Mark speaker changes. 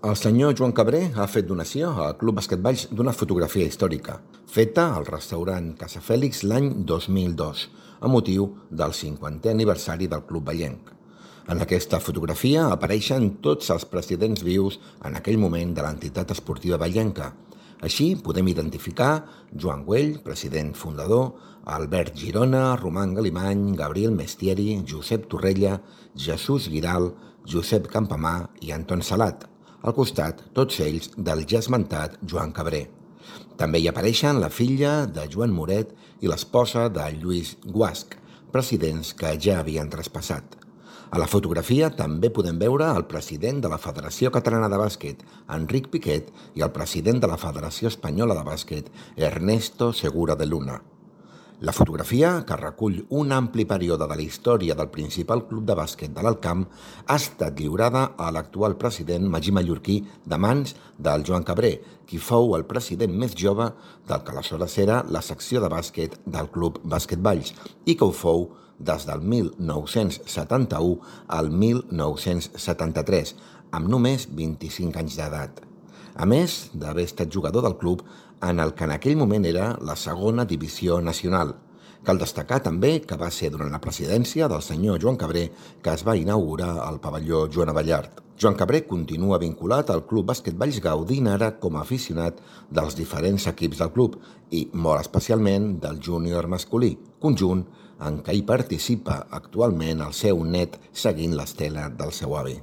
Speaker 1: El senyor Joan Cabré ha fet donació al Club Bàsquet Valls d'una fotografia històrica, feta al restaurant Casa Fèlix l'any 2002, a motiu del 50è aniversari del Club Vallenc. En aquesta fotografia apareixen tots els presidents vius en aquell moment de l'entitat esportiva vallenca. Així podem identificar Joan Güell, president fundador, Albert Girona, Roman Galimany, Gabriel Mestieri, Josep Torrella, Jesús Guiral, Josep Campamar i Anton Salat. Al costat, tots ells del ja esmentat Joan Cabré. També hi apareixen la filla de Joan Moret i l'esposa de Lluís Guasch, presidents que ja havien traspassat. A la fotografia també podem veure el president de la Federació Catalana de Bàsquet, Enric Piquet, i el president de la Federació Espanyola de Bàsquet, Ernesto Segura de Luna. La fotografia, que recull un ampli període de la història del principal club de bàsquet de l'Alt Camp, ha estat lliurada a l'actual president Magí Mallorquí de mans del Joan Cabré, qui fou el president més jove del que aleshores era la secció de bàsquet del Club Bàsquet Valls i que ho fou des del 1971 al 1973, amb només 25 anys d'edat. A més d'haver estat jugador del club en el que en aquell moment era la segona divisió nacional. Cal destacar també que va ser durant la presidència del senyor Joan Cabré que es va inaugurar el pavelló Joan Abellart. Joan Cabré continua vinculat al Club Bàsquet Valls gaudint ara com a aficionat dels diferents equips del club i molt especialment del júnior masculí, conjunt en què hi participa actualment el seu net seguint l'estela del seu avi.